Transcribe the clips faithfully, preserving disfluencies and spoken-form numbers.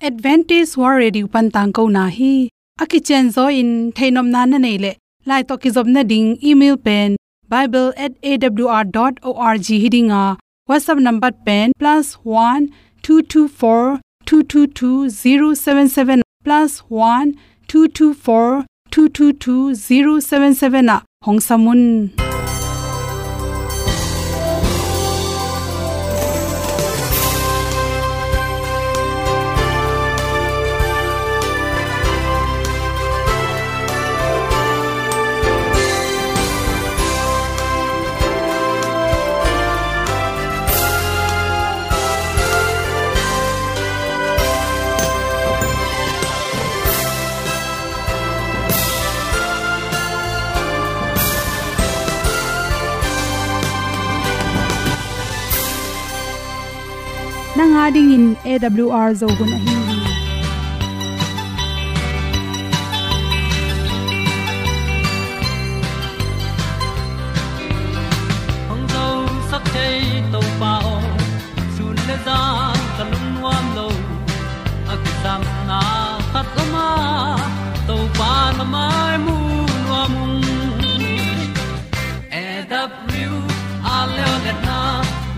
Adventist World Radio pan tangkona hi. A kicianzaw in theihnopna na neih leh, lai tawh kizopna ding email pen bible at A W R dot org hi ding a, WhatsApp number pen plus one two two four two two two zero seven seven, plus one two two four two two two zero seven seven ah hong sam un. Nang a dingin A W R Zo hun ahi hi. Hong zosak thei Topa aw, sun le zan ka lungnuam lo. A kisapna khat om a, Topa na mai mu nuam ung. A W R leo letna,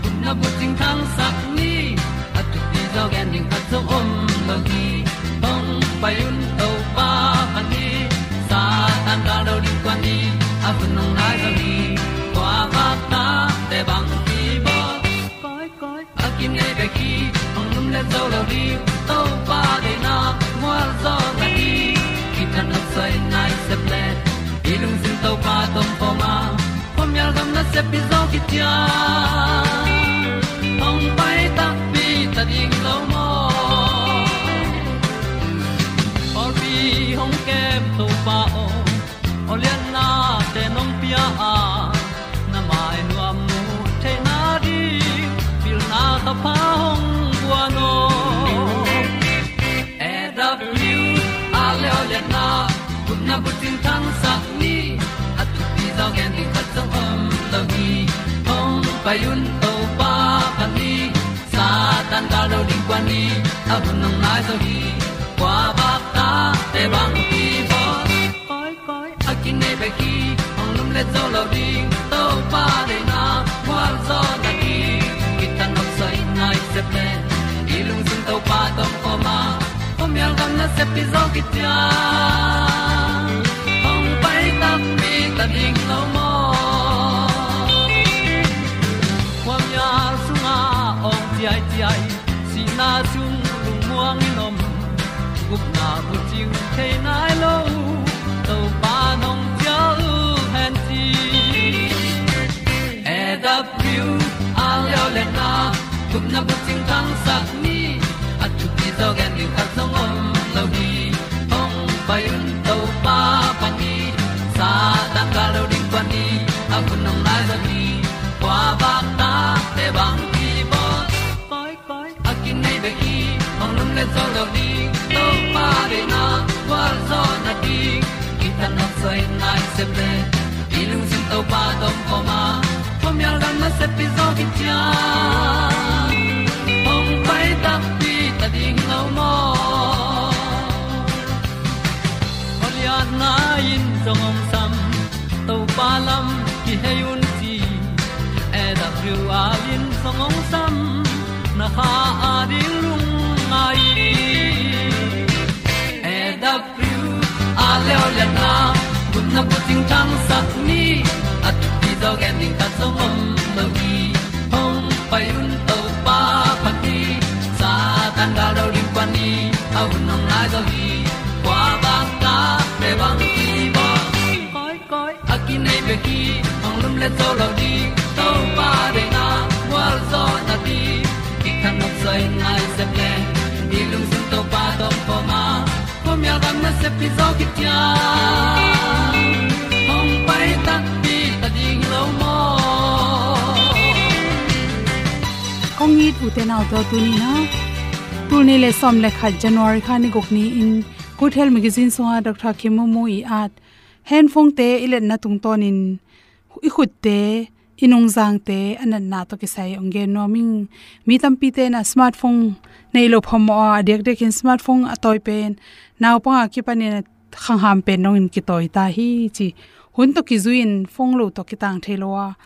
gupna bucing thangsak ni. A thupi zaw gen ding khat zong om lo hi. Hong pai un Topa pan hi. Satan gal do ding kuan ni. A hun hong nai zaw hi. Kua bak ta te bang hi bawl. Koi, koi, a kinei bek hi, hong lum le zo lo ding, Topa deihna, mual zaw na hi, kithat nop soi nai sep le, i lungsim Topa tawh om a, khuamial gam nasep i zaw kician, hong pai takpi ta ding lo maw. Pawlpi hong kem Topa aw, aw lianna te nong pia a, na mai nuam mu theihna ding, pilna thapha hong guan aw. A W R leo letna, gupna bucing thangsak ni, a thupi zaw gen ding khat zong om lo hi, hong pai un Topa pan hi, Satan gal do ding kuan ni, a hun hong nai zaw hi, kua bak ta te bang hi bawl. Koi, koi, a kinei bek hi, hong lum le zo lo ding, Topa deihna, mual zaw na ding, kithat nop soi nai sep le, i lungsim Topa tawh om a, khuamial gam nasep i zaw kician, hong pai takpi ta ding lo maw. Khuamial sungah awng ciaiciai, sihna sung lungmuang in om, gupna bucing thei nai lo, Topa nong cial hen ci. A W R leo letna, gupna bucing thangsak ni, a thupi zaw gen ding khat zong om lo hi, hong pai un Topa pan hi, Satan gal do ding kuan ni, a hun hong nai zaw hi, kua bak ta te bang hi bawl. Koi, koi, a kinei bek hi, hong lum le zo lo ding, Topa deihna, gualzawhna ding, kithat nop soi nai sep le, i lungsim Topa tawh om a, khuamial gam nasep i zaw kician, hong pai takpi ta ding lo maw. Khualiatna in zong hong sam, Topa lam kihei un ci, A W R in zong hong sam, na kha a ding lungngai. A W R leo liatna, gupna bucing thangsak ni, a thupi zaw gen ding khat zong om lo hi. Hong pai un Topa pan hi, Satan gal do ding kuan ni, a hun hong nai zaw hi. Kua bang ta te bang hi bawl. Koi, koi, a kinei bek hi, hong lum le zo lo ding, Topa deihna, gualzawhna ding, kithat nop soi nai sep le, i lungsim Topa tawh om a, khuamial gam nasep i zaw kician, hong pai takpi ta ding lo maw. Kong it u te nau te aw, tuni-in ah, tul nih le sawm le khat January kha ni guk ni-in Good Health Magazine sungah Doctor Kim Mu Mu ii at handphone te i letna tungtawnin i khutte i nungzangte a natna tawh kisai hong gen nuam ing. Mi tampite in a smartphone nei lo phamawh a, a diakdiakin smartphone a tawi pen naupang a kipanin a khangham pen dongin kitawi ta hi ci. Hun tawh kizui-in phone lo tawh kitang thei lo a,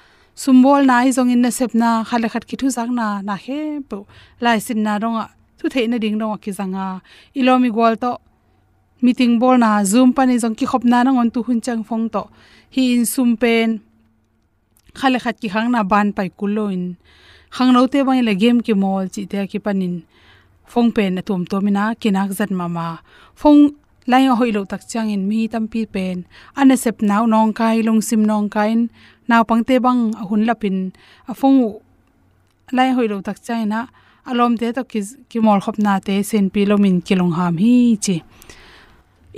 sumbawlna ahi zongin nasepna, khat le khat kithuzakna, na khempeuh, laisinna dongah, thu theih nading dongah kizang a, i lawm i gual tawh meeting bawlna, Zoom panin zong kikhopna nangawn tu hun ciang phone tawh hi-in sum pen khat le khat kikhakna ban pai kul loin, khangnote bangin le game kimawl cihte a kipanin phone pen a tuamtuam in a kinak zat mahmah. Phone line a hoih loh tak ciangin mi tampi pen a nasepna uh nawngkai, lungsim nawngkai in, naupangte bang a hun lapin a phone uh line a hoih loh tak ciangin a, a lawmte tawh ki, kimawlkhopnate senpi lomin kilungham hi ci.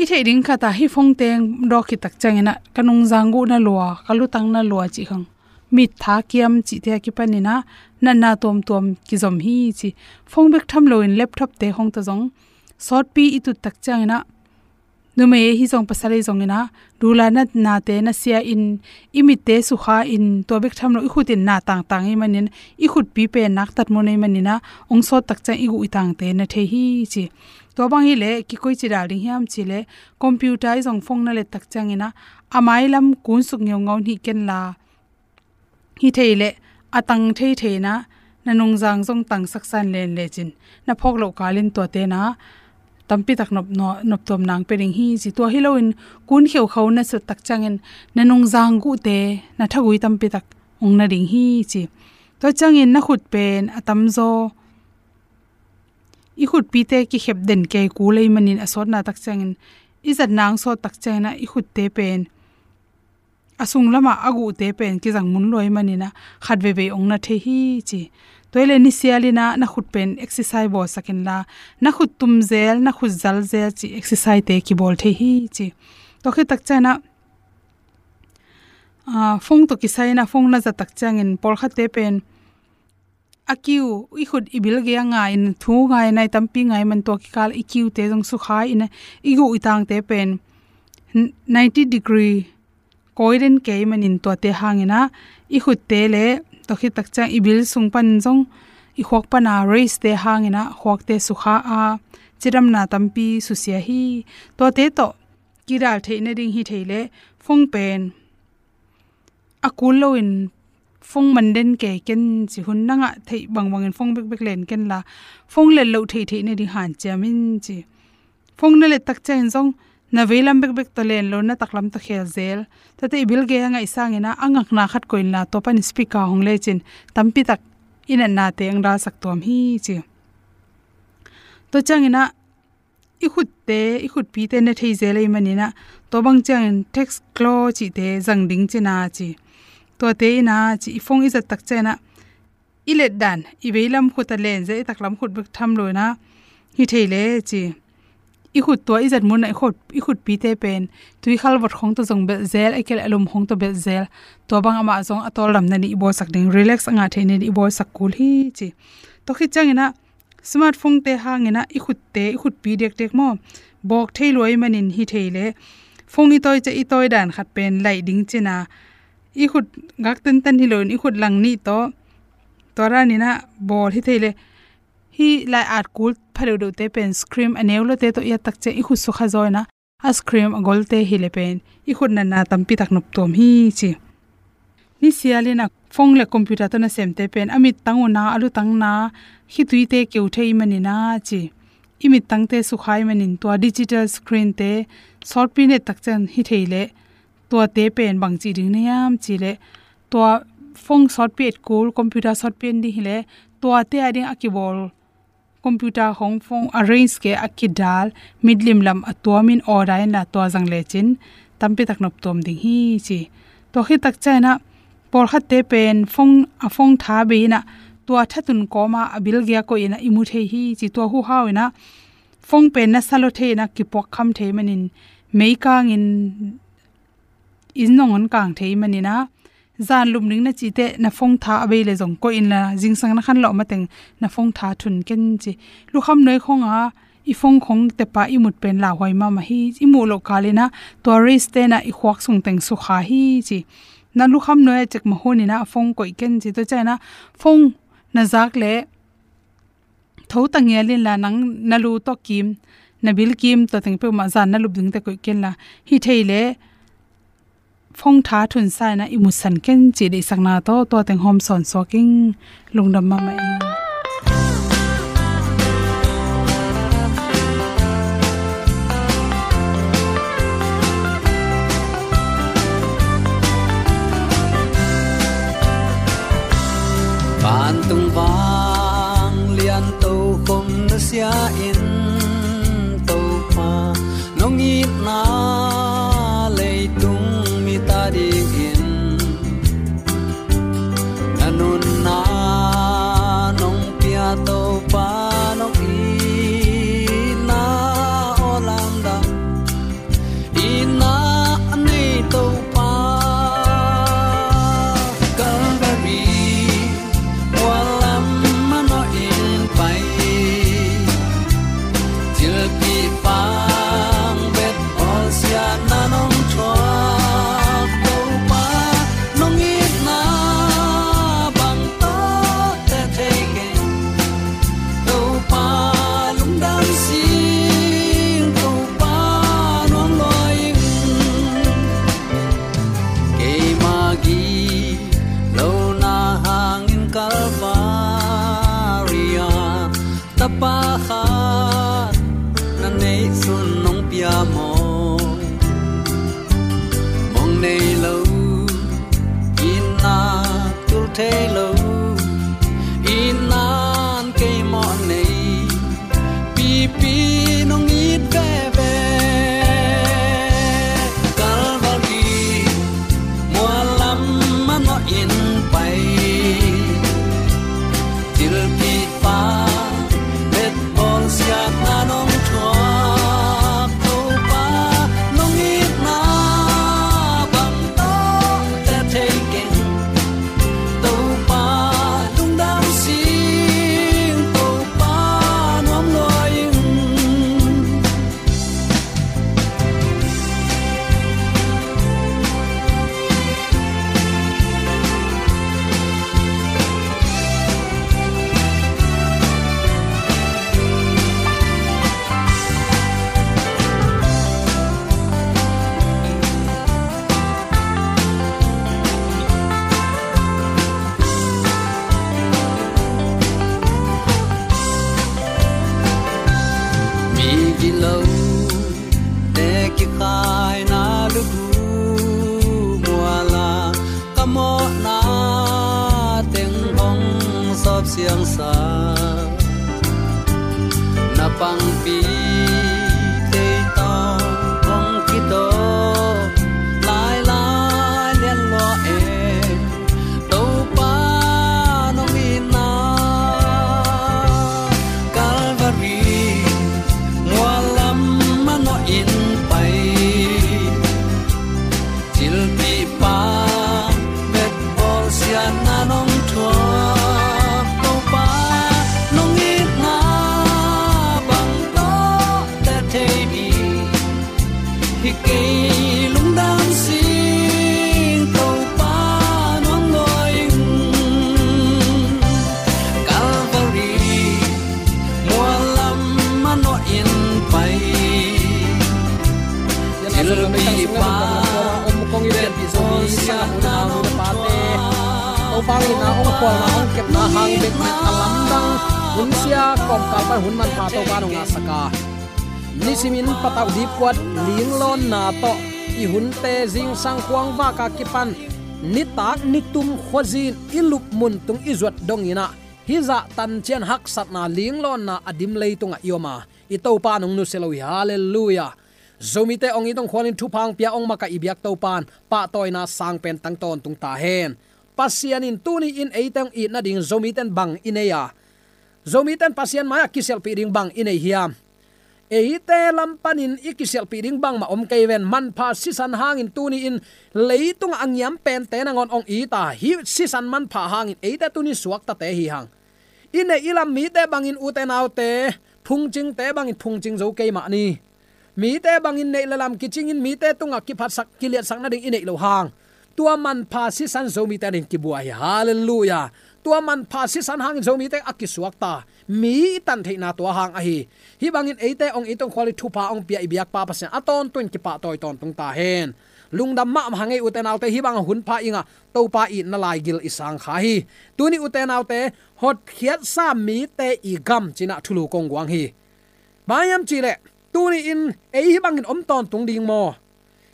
I theih ding khat ah hih phone teng dawk khit tak ciangin a, ka nungzang guh na lua, ka lutang na lua cih khawng, mittha kiam cihte a kipanin a natna tuamtuam kizom hi ci. Phone bek tham loin laptop-te khawng tawh zong sawtpi i tut tak ciangin a, numei ahi zong pasal ahi zongin a, dula natnate nasia-in, i mitte sukha-in, tua bek tham lo i khut in na tangtang ahih manin, i khutpi pen naktat mun ahih manin a, hong sawt tak ciang i guh i tangte na thei hi ci. Tua bang hileh kikoici dal ding hiam cih leh, computer ahi zong phone na let tak ciangin a, a mailam kunsuk ngeungau hih ken la, hi thei leh a tang thei thei in a, na nungzang zong tangsak san len lecin, na phawk loh kalin tuate in a tampi tak nop, nop tuam nang pia ding hi ci. Tua hi loin kun kheukhau na sut tak ciangin na nungzang guhte na thagui tampi tak hong na ding hi ci. Tua ciangin na khut pen a tamzaw i khutpite kikhep den kei kul ahih manin, a sawtna tak ciangin, i zatna hong sawt tak ciangin a, i khutte pen a sung lamah a guhte pen kizang mun lua ahih manin a, khat veivei hong na thei hi ci. Tua hi leh nisialin a na khut pen exercise bawlsak inla, na khut tum zel, na khut zal zel cih exercise-te kibawl thei hi ci. Tua khit tak ciangin a, ah, phone tawh kisai in a phone na zat tak ciangin pawlkhatte pen a kiu, i khut i bil gei a ngai-in, thu ngai, nai tampi ngai man, tua kikal i kiute zong sukha-in a, i guh i tangte pen ninety degree kawi den kei manin, tuate hangin a, i khutte le, tua khit tak ciang i bil sung pan zong, i khuak pan a rays-te hangin a khuakte sukha a, cidamna tampi susia hi. Tuate tawh kidal theih nading hi thei leh, phone pen a kul loin phone man den kei ken ci. Hun na ngah theih bangbangin phone bekbek len ken la, phone let loh theih theih nading hanciam in ci. Phone na let tak ciangin zong na veilam bekbek tawh len lo, na taklam tawh khel zel. Tuate i bil gei a ngaih sangin a, a ngakna khat koih inla, tua pan speaker hong lecin, tampi tak i natnate hong dalsak tuam hi ci. Tua ciangin a, i khutte, i khutpite na thei zel ahih manin a, tua bang ciangin text claw cihte zang ding cin a ci. Tuate in a ci, i phone i zat tak ciangin a, i let dan, i veilam khut a len zel, i taklam khut bek tham loin a, hi thei leh ci. I khut tua i zat mun a i khut, i khutpite pen tuikhal vot khawng tawh zong belh zel, a kei leh a lum khawng tawh belh zel. Tua bang amah zong a tawldam nading i bawlsak ding, relax a ngah theih nading i bawlsak kul hi ci. Tua khit ciangin a, smartphone-te hangin a, i khutte, i khutpi diakdiak maw, bawk thei lua ahih manin hi thei leh, phone i tawi ciang i tawi dan khat pen laih ding cin a, i khut gak tentan hi loin, i khut lang nih tawh, tua danin a bawl hi thei leh, hih lai-at kul pha deuhdeuhte pen screen a neu lote tawh i at tak ciang i khut sukha zaw in a, a screen a golte hi leh pen i khut natna tampi tak nop tuam hi ci. Nisialin a, phone le computer tawh nasemte pen a mittang uh na, a lutang na, khituite keu thei ahih manin a ci. I mittangte sukha ahih manin tua digital screen-te sawtpi na et tak ciang hi thei leh, tuate pen bang cih ding na hiam cih leh, tua phone sawtpi et kul, computer sawtpi en ding hi leh, tuate a ding a kibawl, computer khawng phone a range kei a kidal, mitlim lam a tuamin order inla, tua zang lecin tampi tak nop tuam ding hi ci. Tua khit tak ciangin a, pawlkhatte pen phone, a phone tha bei in a, tua thatun kawm a, a bil gei a koih in a i mu thei hi ci. Tua huhau in a, phone pen na sa lua thei in a, kipuak kham thei manin, meikangin inn zong hong kang thei manin a, zan lum ding na cih teh na phone tha a bei leh zong koih inla, zingsang na khanlawh mateng na phone tha thun ken ci. Lukham nuai khawng a i phone khawng tep a i mut pen lauhuai mahmah hi. I muh loh kalin a, tua rays-te in a i khuak sung teng sukha hi ci. Na lukham nuai a cek mah hun in ah phone koih ken ci. Tua ciang in ah phone na zak leh tho ta ngial inla, nang na lu tawh kim, na bil kim, tua teng peuhmah zan na lup dingte koih kenla, hi thei leh phone tha thunsa in ah i musan ken ci deihsakna tawh tua teng hawm sawn suak ing. Lungdam mahmah ing. Vantung vanglian tokhom nusia in, Topa, nong itna leitung mite adingin na nunna nong pia, Topa, nong itna aw lamdang. Itna a nei Topa, Calvary mual lam manawh in pai, thilpih pang bet bawlsiatna nong thuak, Topa, nong itna bang tawh teh thei keng. Topa lungdam sing, Topa nuam lua ing. Keima gilo na hangin Calvary ah Tapa khat na neih sun nong pia maw? Mong nei lo, itna tul thei lo, itna'n kei mawh nei, pipi nong it veve. Calvary mual lam manawh in pai, thilpih pang bet bawlsiatna nong thuak, Topa, nong itna bang tawh teh thei keng. Topa lungdam sing, Topa nuam lua ing. Mi gilote kikhaina lubu mual ah ka mawhna teng hong sawp siangsa, na pangpi tei tawh hong kitawh lailai lian lua e. Topa nong itna Calvary mual lam manawh in pai, thilpih pang bet bawlsiatna nong thuak, Topa nong itna bang tawh teh thei mi. Hi kei lungdam sing, Topa nuam lua ing. Calvary mual lam manawh in pai, thilpih pang bet bawlsiatna nong thuak. Topa ina hong khualna hong kepna hang bekbek a lamdang hun sia kawmkal pan hun manpha Topa nong ngahsak a, nisimin patauh dipkuat linglawnna tawh i hunte zingsang khuangvak a kipan nitak nitum khuazin i lup mun tung i zuat dongin ah, hih zah tancian haksatna linglawnna a dim leitungah i om a, i Topa nong nusia lo hi. Halleluiah. Zomite hong it hong khualin thupha hong pia hong makaih i biak Topa in pahtawina sang pen tang tawntung ta hen. Pasian in tuni in eite hong it nading Zomite in bang i nei a, Zomite in Pasian mai-ah kisialhpih ding bang i nei hiam? Eite lam panin i kisialhpih ding bangmah om kei ven. Manpha sisan hangin tuni in leitungah a ngiam pente nangawn hong it a, hih sisan manpha hangin eite tuni suaktate hi hang. I neih i lam mite bangin, ute naute, phungcingte bangin phungcing zo kei mah ni. Mite bangin neih le lam kicingin mite tungah kiphatsak, kiliatsak nading i neih loh hang, Tua manpha sisan Zomite ading kibuai hi. Halleluiah. Tua manpha sisan hangin Zomite a kisuakta. Mi i tan theihna tua hang ahi. Hih bangin eite hong it hong khual i thupha hong pia i biakpa Pasian a tawntung in kipahtawi tawntung ta hen. Lungdam mahmah hang ei, ute naute, hih bang a hunpha i ngah Topa itna laigil i sang kha hi. Tuni, ute naute, hotkhiatsa mite i gam ci-in ah thulu kong guang hi. Bang hiam cih leh, tuni-in ei hih bangin om tawntung ding maw?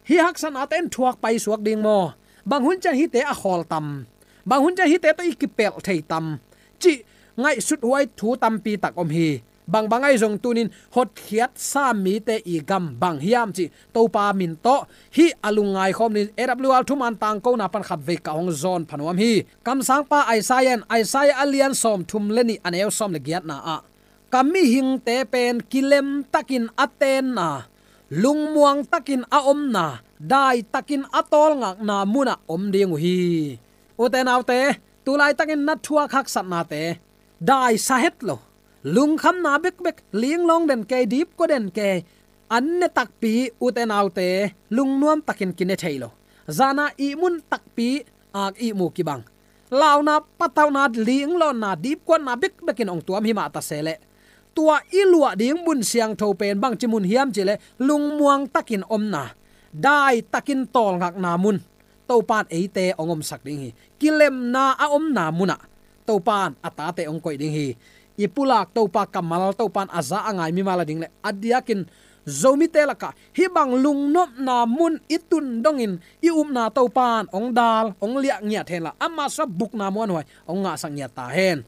Hih haksatnate in thuak paisuak ding maw? Bang hun ciang hihte a khawl tam? Bang hun ciang hihte tawh i kipelh thei tam? Cih ngaihsut huai thu tampi tak om hi. Bangbang ahi zong tuni-in hotkhiatsa mite i gam bang hiam cih Topa min tawh hih a lungngai khawm ni. A W R thuman tangkona pan khatvei ka hong zawn pha nuam hi. Kamsangpa Isaiah in, Isaiah a lian sawmthum le nih, a neu sawm le giatna ah, ka mihingte pen kilemtakin a tenna, lungmuangtakin a omna, daitakin a tawlngakna munah om ding uh hi. Ute naute, tulaitakin na thuak haksatnate daisa het lo, lungkhamna bekbek, linglawng den kei, dipkua den kei, an ne takpi, ute naute, lungnuamtakin kine thei lo. Zana ihmun takpi, ak ihmu kibang. Launa, patauhna, linglawnna, dipkuatna bekbekin hong tuam hi mah ta se leh, tua i luah ding mun siangtho pen bangci mun hiam cih leh, lungmuangtakin omna, daitakin tawlngakna mun Topa in eite hong omsak ding hi. Kilemna a omna munah Topa in a tate hong koih ding hi. I pulak Topa kammal, Topa in a za a ngai mimal a ding leh, a diakin Zomite lakah hih bang lungnopna mun i tun dongin i upna Topa in hong dal, hong liah ngiat henla, a masa bukna muanhuai hong ngahsak ngiat ta hen.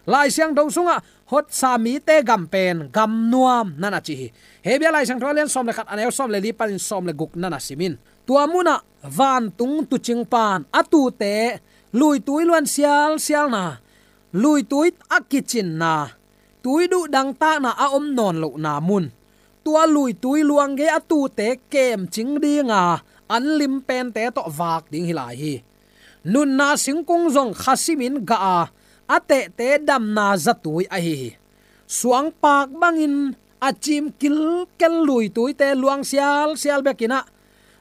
Lai Siangtho sungah hotsa mite gam pen gam nuam na na ci hi. Hebru Lai Siangtho a lian sawm le khat, a neu sawm le li panin sawm le guk na na sim in. Tua munah vantung tuucingpa in a tuute luitui luan sialsialna, luitui a kicinna, tuiduh dangtakna a om nawn lohna mun, tua luitui luang gei a tuute kemcing dinga an lim pente tawh vak ding hi lai hi. Nunna singkung zong kha simin gah a, a tehte damna zatui ahi hi. Suangpak bangin a cim kilkel luituite luang sialsial bekin ah,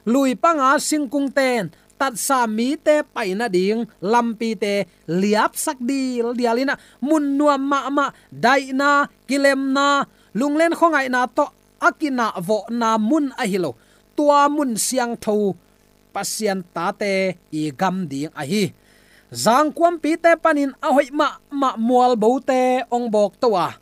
lui panga singkungte in tatsa mite pai nading lampite liapsak dildial in ah, mun nuam mahmah, daihna, kilemna, lunglen khuangaihna tawh a kinahvawhna mun ahi lo, tua mun siangtho Pasian tate i gam ding ahi. Zangkuampite panin a hoih mahmah mualbote hong bawkto a,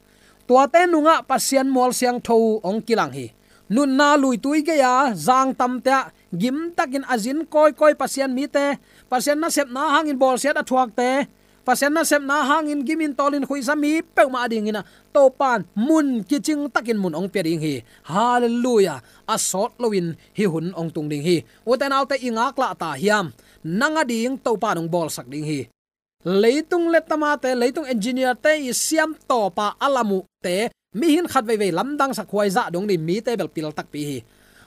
tuate nungah Pasian mual siangtho hong kilang hi. Nunna luitui gei-a zangtamte ah gimtakin a zin kawikawi Pasian mite, Pasian nasepna hangin bawlsiat a thuakte, Pasian nasepna hangin gimin tawlin khuihsa mi peuhmah adingin ah, Topa in mun kicingtakin mun hong pia ding hi. Halleluiah. A sawt loin hih hun hong tung ding hi. Ute naute, i ngaklah ta hiam? Nang ading Topa in hong bawlsak ding hi. Leitung lettamate, leitung engineerte i siam tawpa a lam uhte, mihing khat veivei lamdangsak huai zah dong ding mite bel pil takpi hi.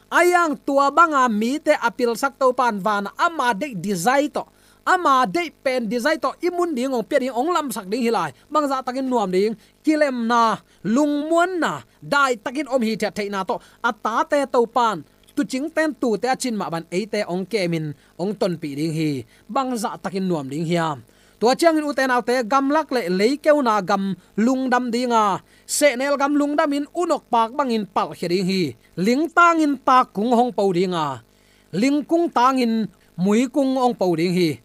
A hiang tua banga mite a pilsak Topa in vanah ama deih design tawh, ama deih pen design tawh i mun ding hong pia ding, hong lamsak ding hi lai. Bangzahtakin nuam ding? Kilemna, lungmuanna, daitakin om hithiat theihna tawh a tate Topa in tuucingte in tuute a cin mah bang eite hong kemin hong tonpih ding hi. Bangzahtakin nuam ding hiam? Tua ciangin ute naute, gamlak le leikeuna gam lungdam dinga, sehnel gam lungdamin unok pak bangin palhkhia ding hi. Lingtangin takkung hong po dinga, lingkung tangin muikung hong po ding hi.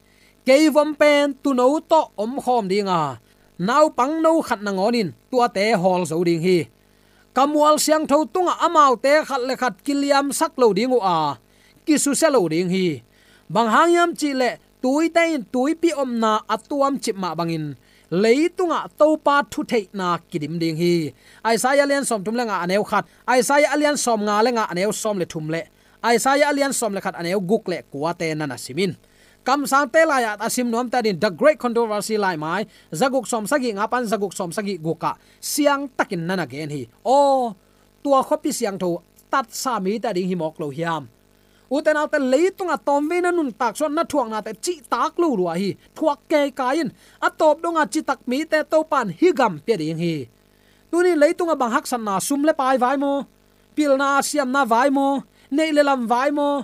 Keivom pen tuuno tawh omkhawm dinga, naupangno khat nangawnin tuate hawl zo ding hi. Ka mual siangtho tungah amaute khat le khat kiliamsak lo ding uh a, kisusia lo ding hi. Bang hang hiam cih leh, tuite in tuipi omna a tuamcip mah bangin, leitungah Topa thutheihna kidim ding hi. Isaiah a lian sawmthum le nga, a neu khat, Isaiah a lian sawmnga le nga, a neu sawm le thum le Isaiah a lian sawm le khat, a neu guk le kuate na na sim in. Kamsangte lai-ah a sim nuamte ading The Great Controversy laimai zaguk sawmsagih nga pan zaguk sawmsagih gukah siangtakin na na gen hi. Aw, tua khuapi siangtho tatsa mite ading hi mawk lo hiam? Ute naute, leitungah tawmvei na nuntak suan na thuaknate cihtak lo lua hi. Thuak keikai in, a tawp donga citak mite Topa in hih gam pia ding hi. Tuni leitungah bang haksatna, sum le pai vai maw? Pilna siamna vai maw? Neih le lam vai maw?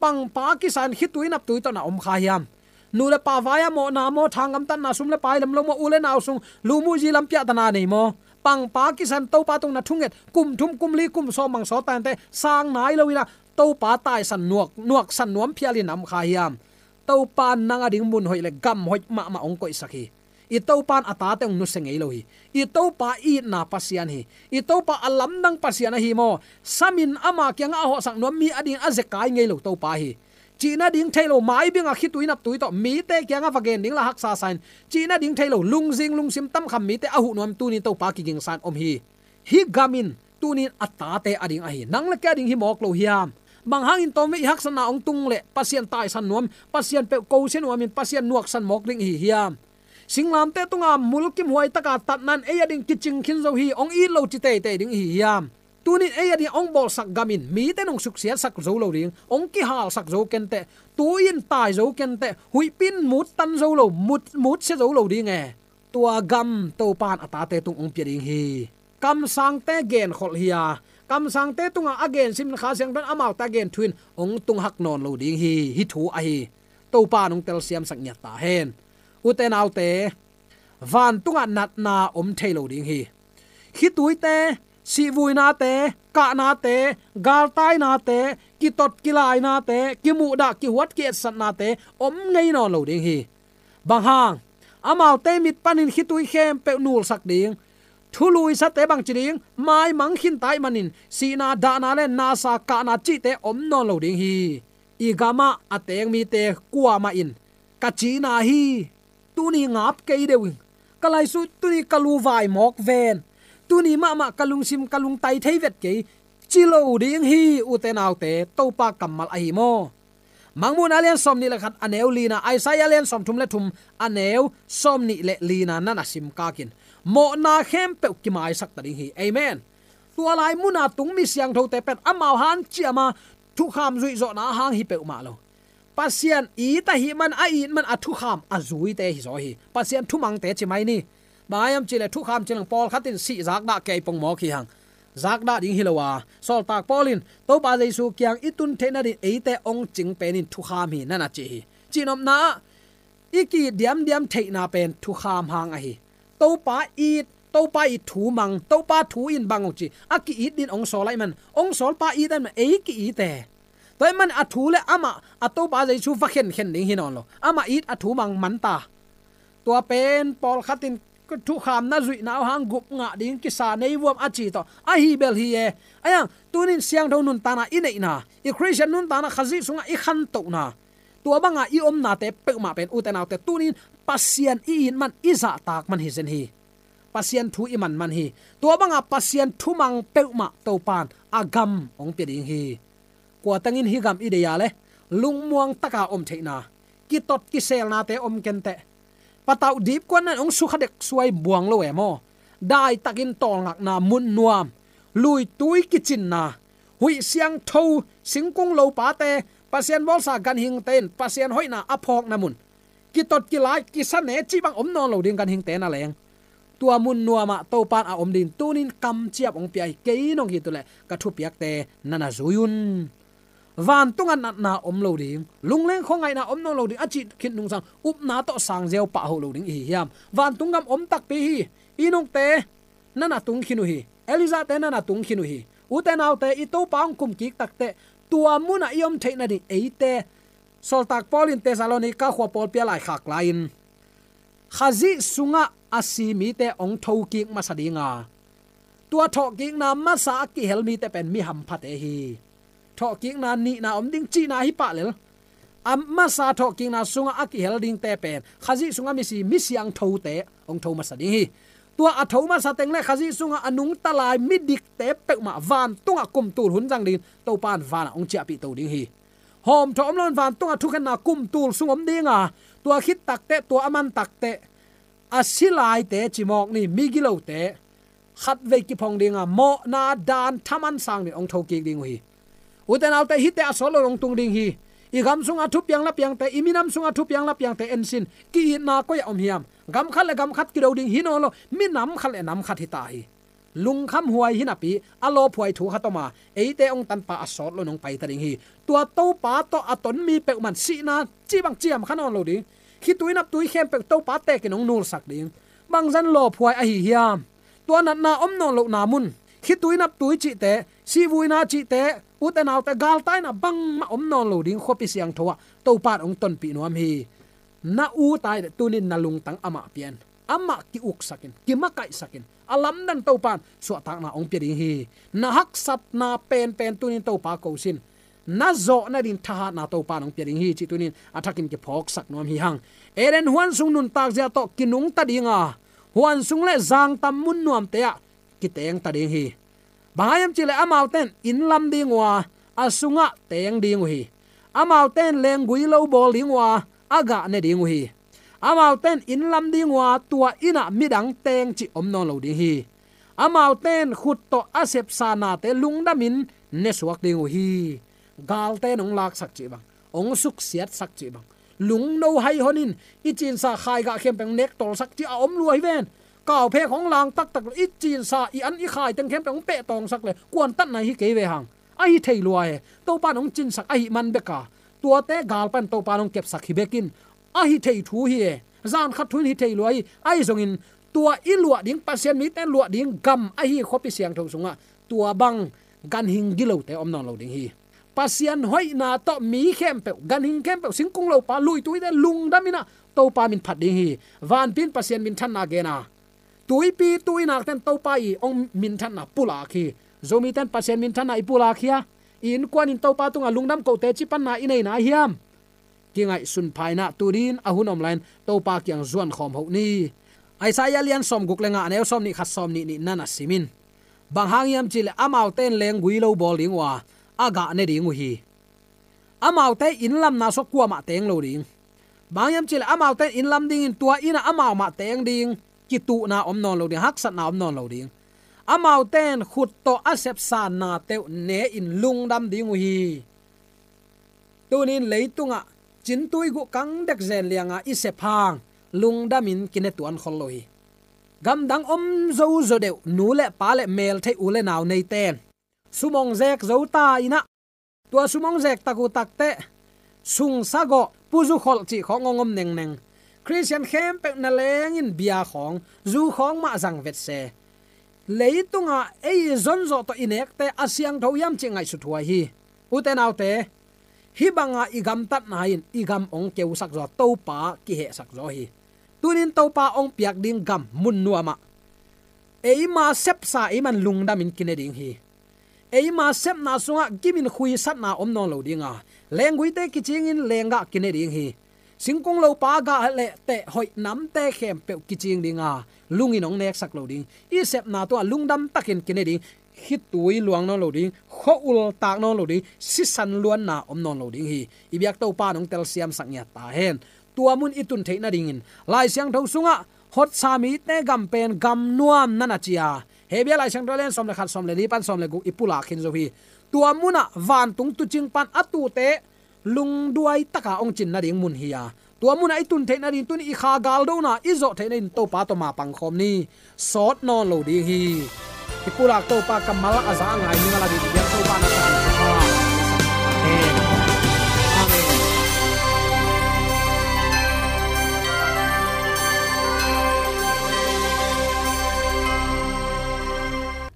Pangpa kisa in khitui naptui tawh na om kha hiam? Nu le pa vai-ah mawhna maw, thangam tatna, sum le pai lam lo maw, u le nau sung luhmuhzi lam piahtana nei maw? Pangpa kisa in Topa tung na thunget kum thum, kum li, kum sawm bang sawt ta inteh, sang nai lo in ah Topa taisan nuak, nuaksan nuam phial in na om kha hiam? Topa in nang ading mun hoih le gam hoih mahmah hong koihsak hi. I Topa in a tate hong nusia ngei lo hi. I Topa itna Pasian hi. I Topa a lamdang Pasian ahi maw? Sam in ama kiangah a hawhsak nuam mi ading a zekai ngei lo Topa hi. Cih nading thei lo, maibing a khitui naptui tawh mite kiangah va gen ding la haksa sa in, cih nading thei lo, lungzing lungsim tamkham mite a huh nuam tuni in Topa kigingsa in om hi. Hih gam in tuni in a tate ading ahi, nang le kei ading hi mawk lo hiam? Bang hangin tawmvei i haksatna hong tung leh Pasian taisan nuam, Pasian peuh kosia nuam in Pasian nuaksan mawk ding ihi hiam? Singlamteh tunga mulkimhuai taka tatna in ei ading kicing khin zo hi, hong it lo ci teitei ding ihi hiam? Tuni in ei ading hong bawlsak gam in mite in hong suksiatsak zo lo ding, hong kihalsak zo kenteh, tui in tai zo kenteh, huihpi in muttan zo lo, mut, mutsia zo lo ding e. Tua gam Topa in a tate tung hong pia ding hi. Kamsangte genkholh hi a, kamsangte tungah a gen simin Kha Siangtho in amaute a gen thu in hong tunghak nawn lo ding hi. Hih thu ahi. Topa in hong telsiamsak ngiat ta hen. Ute naute, vantungah natna om thei lo ding hi. Khituite, sihvuinate, kahnate, galtainate, kitot kilainate, kimuhdah kihuat kietsatnate om ngei nawn lo ding hi. Bang hang? Amaute mit panin khitui khempeuh nulsak ding, thuluisate bangci ding, maimang khinta ahih manin sihna, dahna le nasa, kahna cihte om nawn lo ding hi. I gamah a teng mite kuamah in ka cihna hi, tuni ngap kei deuh ing, ka laisuh tuni ka lu vai mawk ven, tuni mahmah ka lungsim ka lungtai thei vet kei, ci lo ding hi. Ute naute, Topa kammal ahi maw? Mangmuhna a lian sawmnih le khat a neu lina, Isaiah a lian sawmthum le thum a neu sawmnih le lina na na simkak in, mawhna khempeuh kimaisak ta ding hi. Amen. Tua lai muna tung mi siangthote pen amau hanciam a thukham zuihzawhna a hang hi peuhmah lo. Pasian it ahih man, a it man a thukham a zuite hi zaw hi. Pasian thumangte ci mai ni. Bang hiam cih leh thukham ci leng pawlkhat in sih zakdah kei pong mawk hi hang. Zakdah ding hi lo a, sawltak Paul in Topa Jesu kiang i tun theih nading eite hong cing pen in thukham hi na na ci hi. Cihnopna ah i ki-it diamdiam theihna pen thukham hang ahi. Topa it, Topa it thu mang, Topa thu in bang hong ci, a ki-it din hong sawl ahih man, hong sawlpa it ahih man ei ki-it e. Tua ahih man a thu le amah a Topa Jesu va khenkhen ding hi nawn lo. Amah it a thu mang man ta. Tua pen pawlkhat in thukhamna zuihna uh hang gup ngah ding kisa nei vuam a ci tawh ahi bel hi e. Ahi hang tunin siangtho nuntakna i neihna, i Khristian nuntakna Khazih sungah i khantohna, tua banga i omnate peuhmah pen ute naute tunin Pasian i it man, i zahtak man hi zen hi. Pasian thu i man man hi. Tua banga Pasian thumang peuhmah Topan a gam hong pia ding hi. Kua tengin hih gam i deih a le lungmuang taka om theihna, kitot kiselnate om kenteh. Patauh dipkuatna in hong sukha dek suai buang lo e maw? Daitakin tawlngakna, mun nuam, luitui kicinna, huih siangtho, singkung lopate, Pasian bawlsa ganhingte in Pasian hoihna a phawkna mun, kitot kilai, kisa ne cih bang om nawn lo ding ganhingte na leng. Tua mun nuamah Topan a om ding tunin kamciap hong pia hi. Kei nong hi tuleh ka thupiakte na na zui un. Vantungah natna om lo ding, lungleng khuangaihna om nawn lo ding, a cih khit nungsang upna tawh sangziau pahhoh lo ding ihi hiam? Vantung gam om takpi hi. Enokte na na tung khin uh hi. Elijahte na na tung khin uh hi. Ute naute, i Topa hong kum kik takteh tua munah i om theih nading eite Sawltak Paul in Thessalonika khua pawlpi a laikhak lai-in Khazih sungah a si mite hong thokik masa ding a, tua thawhkikna masa a kihel mite pen mi hamphate hi. Thawhkikna nihna om ding cihna hi pah lel. A masa thawhkikna sungah a kihel dingte pen Khazih sungah misi, mi siangthote hong tho masa ding hi. Tua a tho masa teng le Khazih sungah a nungta lai midikte peuhmah vantungah kum tul hun zang dingin Topa in vanah hong ciahpih to ding hi. Hawmthawh om loin vantungah thukhenna kum tul sung om ding a, tua khit takteh, tua a man takteh, a si laite cimawk ni, migilote khatvei kiphong ding a, mawhna dan thaman sang dingin hong thokik ding uh hi. Ute naute, hihte a sawt loin hong tung ding hi. I gam sungah thupiang lapiangte, i minam sungah thupiang lapiangte ensin, ki-itna koi-ah om hiam? Gam khat le gam khat kido ding hi nawn lo, minam khat le nam khat hi ta hi. lungkham huai hi napi a lawphuai thu khat om a, eite hong tanpa a sawt lo nong paita ding hi. Tua Topa tawh a ton mi peuhmah sihna cih bang ciam kha nawn lo ding. Khitui naptui khempeuh Topa tekin hong nulsak ding. Bangzah lawphuai ahi hiam? Tua natna om nawn lohna mun, khitui naptui cihte, sihvuina cihte, ute naute galtaina bangmah om nawn lo ding khuapi siangtho ah Topa in hong tonpih nuam hi. Na ut a hih leh tunin na lungtang amah pia in. Amah ki-uksak in, kimakaihsak in. A lamdang Topa in suahtakna hong pia ding hi. Na haksatna penpen tunin Topa ko sin. Na zawh nading thahatna Topa in hong pia ding hi cih tunin a thakin kiphawksak nuam hi hang. Eden huan sung nuntak zia tawh kinungta ding a, huan sung le zangtam mun nuamte ah kitengta ding hi. Bang hang hiam cih leh amaute in inn lam ding uh a, a sungah teng ding uh hi. Amaute in lenggui lo bawl ding uh a, a gah ne ding uh hi. Amaute in inn lam ding uh a, tua inn ah midang teng cih om nawn lo ding hi. Amaute in khut tawh a sepsa nate lungdamin ne suak ding uh hi. Galte in hong laksak cih bang, hong suksiatsak cih bang, lungno hai hon in, i cinsa khaigah khempeuh hong nek tawlsak cih a om lua hi ven. Kauphek hong lang taktak lo, i cinsa, i an i khai teng khempeuh hong peh tawngsak le kuantatna hi kei ve hang. Ahi thei lua hi. Topa in hong cinsak ahih man bek a, tuate galpa in Topa in hong kepsak hi bek in, ahi thei thu hi e. Zan khat thu in hi thei lua hi. Ahi zongin tua i luah ding, Pasian mite luah ding gam ahi khuapi siangtho sungah tua bang ganhing gilote om nawn lo ding hi. Pasian hoihna tawh mi khempeuh, ganhing khempeuh, singkung lopa, luituite lungdam in ah Topa min phat ding hi. Vanpi in Pasian minthanna gen a, tuipi tuinakte in Topa i hong minthanna pulak hi. Zomite in Pasian minthanna i pulak hi a, i innkuan in Topa tungah lungdam kote cipanna i nei na hiam? Kingaihsun pha in ah tu dingin a hun om lai-in Topa kiang zuan khawm hoh ni. Isaiah lian sawmguk le nga, a neu sawmnih khat, sawmnih nih na na sim in. Bang hang hiam cih leh amaute in lenggui lo bawl ding uh a, a gah ne ding uh hi. Amaute inn lamna sung kuamah teng lo ding. Bang hang hiam cih leh amaute in inn lam dingin tua inn ah amau mah teng ding. Kituhna om nawn lo ding, haksatna om nawn lo ding. Amaute in khut tawh a sepsa nate uh ne in lungdam ding uh hi. Tunin leitungah cintui guh kang dek zen lianga i sep hang lungdamin kine tuan khol lo hi. Gamdang om zo zaw deuh nu le pa le meltheih u le nau neite in sum hong zek zo ta in ah, tua sum hong zek tak uh takteh sungsa gawh, puzu kholh cih khawng hong om nengneng. Khristian khempeuh na leng in bia khawng, zu khawng mah zang vet se. Leitungah ei zonzawh tawh i nekte a siangtho hiam cih ngaihsut huai hi. Ute naute, hih banga i gamtatna in i gam hong keusak zaw, Topa kihehsak zaw hi. Tunin Topa hong piak ding gam mun nuamah eima sepsa eiman lungdamin kine ding hi. Eima sepna sungah gimin khuisatna om nawn lo ding a, lengguite kicingin lenggah kine ding hi. Singkung lopa gah le teh hoih namte khempeuh kicing ding a, lungin hong neksak lo ding. I sepna tungah lungdam takin kine ding. Khitui luang nawn lo ding, khua-ul tak nawn lo ding, sisan luanna om nawn lo ding hi. I biak Topa in hong telsiamsak ngiat ta hen. Tua mun i tun theih nadingin Lai Siangtho sungah hotsa mite gam pen gam nuam na na ci a, Hebru Lai Siangtho lian sawm le khat, sawm le li pan sawm le guk i pulak khin zo hi. Tua munah vantung tuucing pan a tuute lungduai taka hong cin nading mun hi a, tua munah i tun theih nading, tuni i kha galdona i zawh theih nading Topa tawh ma pangkhawm ni. Sawt nawn lo ding hi. I pulak Topa kammal a za a ngai ning a la ding i biak Topa na sa. Amen. Amen.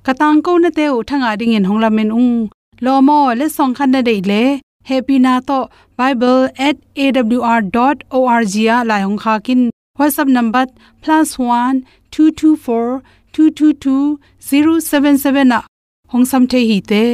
Ka tangkonate uh thangah dingin hong lamen ung. Lawm aw, letsong khat na deih leh hehpihna tawh bible at A W R dot O R G ah lai hong khak in. WhatsApp number plus one two two four two two two zero seven seven ah hong sam thei hi te.